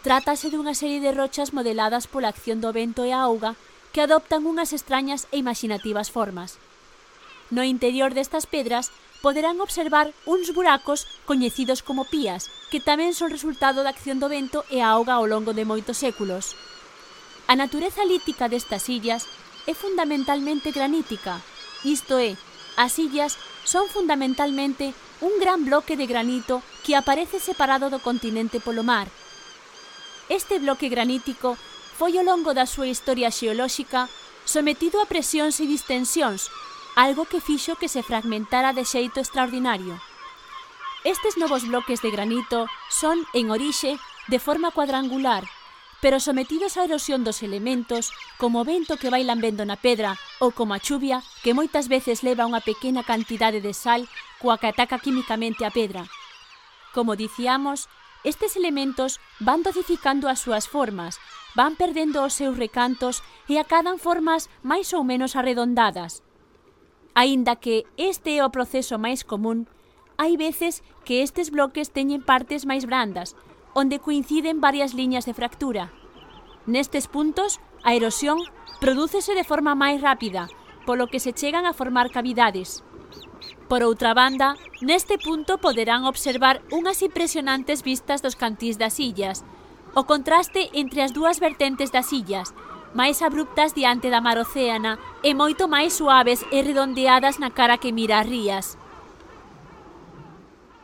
Trátase dunha serie de rochas modeladas pola acción do vento e a auga que adoptan unhas extrañas e imaginativas formas. No interior destas pedras poderán observar uns buracos coñecidos como pías, que tamén son resultado da acción do vento e a auga ao longo de moitos séculos. A natureza lítica destas illas é fundamentalmente granítica, isto é, as illas son fundamentalmente un gran bloque de granito que aparece separado do continente polo mar. Este bloque granítico foi ao longo da súa historia xeolóxica sometido a presións e distensións, algo que fixo que se fragmentara de xeito extraordinario. Estes novos bloques de granito son, en orixe, de forma cuadrangular, pero sometidos á erosión dos elementos, como o vento que vai lambendo na pedra ou como a chuvia, que moitas veces leva unha pequena cantidade de sal coa que ataca químicamente a pedra. Como dicíamos, estes elementos van dosificando as súas formas, van perdendo os seus recantos e acadan formas máis ou menos arredondadas. Aínda que este é o proceso máis común, hai veces que estes bloques teñen partes máis brandas, onde coinciden varias liñas de fractura. Nestes puntos, a erosión prodúcese de forma máis rápida, polo que se chegan a formar cavidades. Por outra banda, neste punto poderán observar unhas impresionantes vistas dos cantís das illas, o contraste entre as dúas vertentes das illas, máis abruptas diante da mar océana e moito máis suaves e redondeadas na cara que mira as rías.